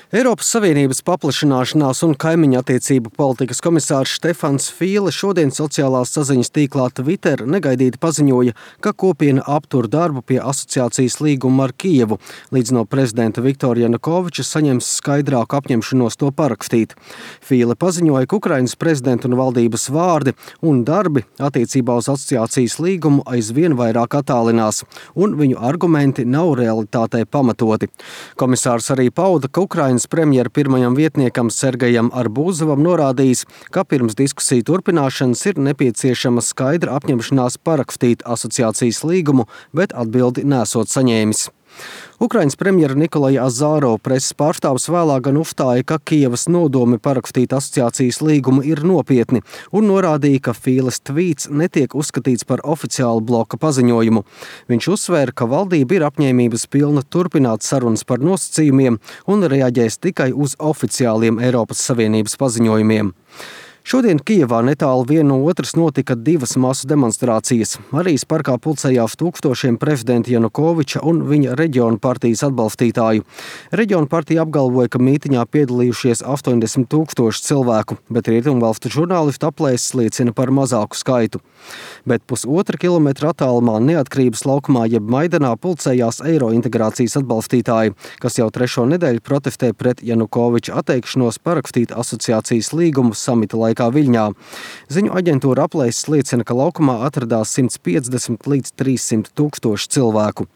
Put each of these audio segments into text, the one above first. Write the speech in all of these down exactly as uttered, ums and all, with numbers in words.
Eiropas Savienības paplašināšanās un kaimiņu attiecību politikas komisārs Štefans Fīle šodien sociālās saziņas tīklā Twitter negaidīti paziņoja, ka kopiena aptur darbu pie asociācijas līguma ar Kijevu, līdz no prezidenta Viktora Janukoviča saņems skaidrāku apņemšanos to parakstīt. Fīle paziņoja, ka Ukrainas prezidenta un valdības vārdi un darbi attiecībā uz asociācijas līgumu aizvien vairāk attālinās, un viņu argumenti nav realitātei pamatoti. Komisārs arī pauda, ka Ukrainas premjera pirmajam vietniekam Sergejam Arbūzovam norādījis, ka pirms diskusiju turpināšanas ir nepieciešama skaidra apņemšanās parakstīt asociācijas līgumu, bet atbildi nesot saņēmis. Ukrainas premjera Nikolaja Azārova preses pārstāvs vēlāk gan uzstāja, ka Kijevas nodomi parakstīt asociācijas līgumu ir nopietni un norādīja, ka Fīles tvīts netiek uzskatīts par oficiālu bloka paziņojumu. Viņš uzsvēra, ka valdība ir apņēmības pilna turpināt sarunas par nosacījumiem un reaģēs tikai uz oficiāliem Eiropas Savienības paziņojumiem. Šodien Kijevā netālu viena no otras notika divas masu demonstrācijas. Marijas parkā pulcējās tūkstošiem prezidenta Janukoviča un viņa reģionu partijas atbalstītāju. Reģionu partija apgalvoja, ka mītiņā piedalījušies astoņdesmit tūkstoši cilvēku, bet rietumvalstu žurnālistu aplēses liecina par mazāku skaitu. Bet pusotra kilometra attālumā Neatkarības laukumā jeb Maidanā pulcējās Eirointegrācijas atbalstītāji, kas jau trešo nedēļu protestē pret Janukoviča atteikšanos parakstīt asociācijas līgumu samita laikā Viļņā. Ziņu aģentūra aplēses liecina, ka laukumā atradās simts piecdesmit līdz trīssimt tūkstoši cilvēku.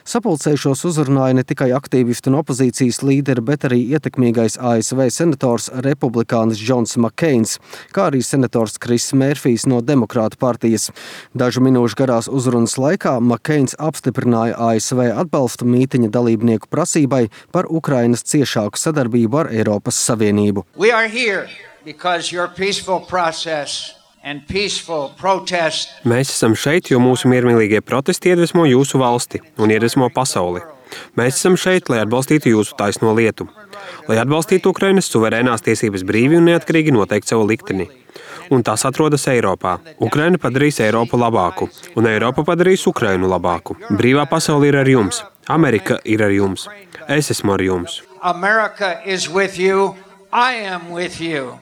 Sapulcējušos uzrunāja ne tikai aktīvistu un opozīcijas līderi, bet arī ietekmīgais A S V senators republikānis Džons Makkeins, kā arī senators Kris Mērfijs no Demokrātu partijas. Dažu minūšu garās uzrunas laikā Makkeins apstiprināja A S V atbalstu mītiņa dalībnieku prasībai par Ukrainas ciešāku sadarbību ar Eiropas Savienību. We are here because your peaceful process and peaceful protest. Mēs esam šeit, jo mūsu miermīlīgie protesti iedvesmo jūsu valsti un iedvesmo pasauli. Mēs esam šeit, lai atbalstītu jūsu taisno lietu, lai atbalstītu Ukrainas suverēnās tiesības brīvi un neatkarīgi noteikt savu likteni. Un tas atrodas Eiropā. Ukraina padarīs Eiropu labāku, un Eiropa padarīs Ukrainu labāku. Brīvā pasaule ir ar jums. Amerika ir ar jums. Es esmu ar jums. America is with you. I am with you.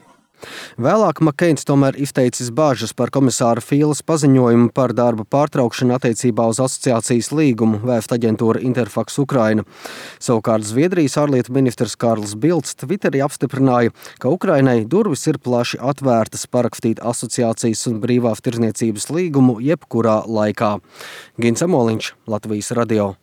Vēlāk Makkeins tomēr izteicis bāžas par komisāra Fīles paziņojumu par darba pārtraukšanu attiecībā uz asociācijas līgumu, vēsta aģentūra Interfax Ukraina. Savukārt Zviedrijas ārlietu ministrs Kārls Bilds Twitterī apstiprināja, ka Ukrainai durvis ir plaši atvērtas parakstīt asociācijas un brīvās tirdzniecības līgumu jebkurā laikā. Gins Amoliņš, Latvijas radio.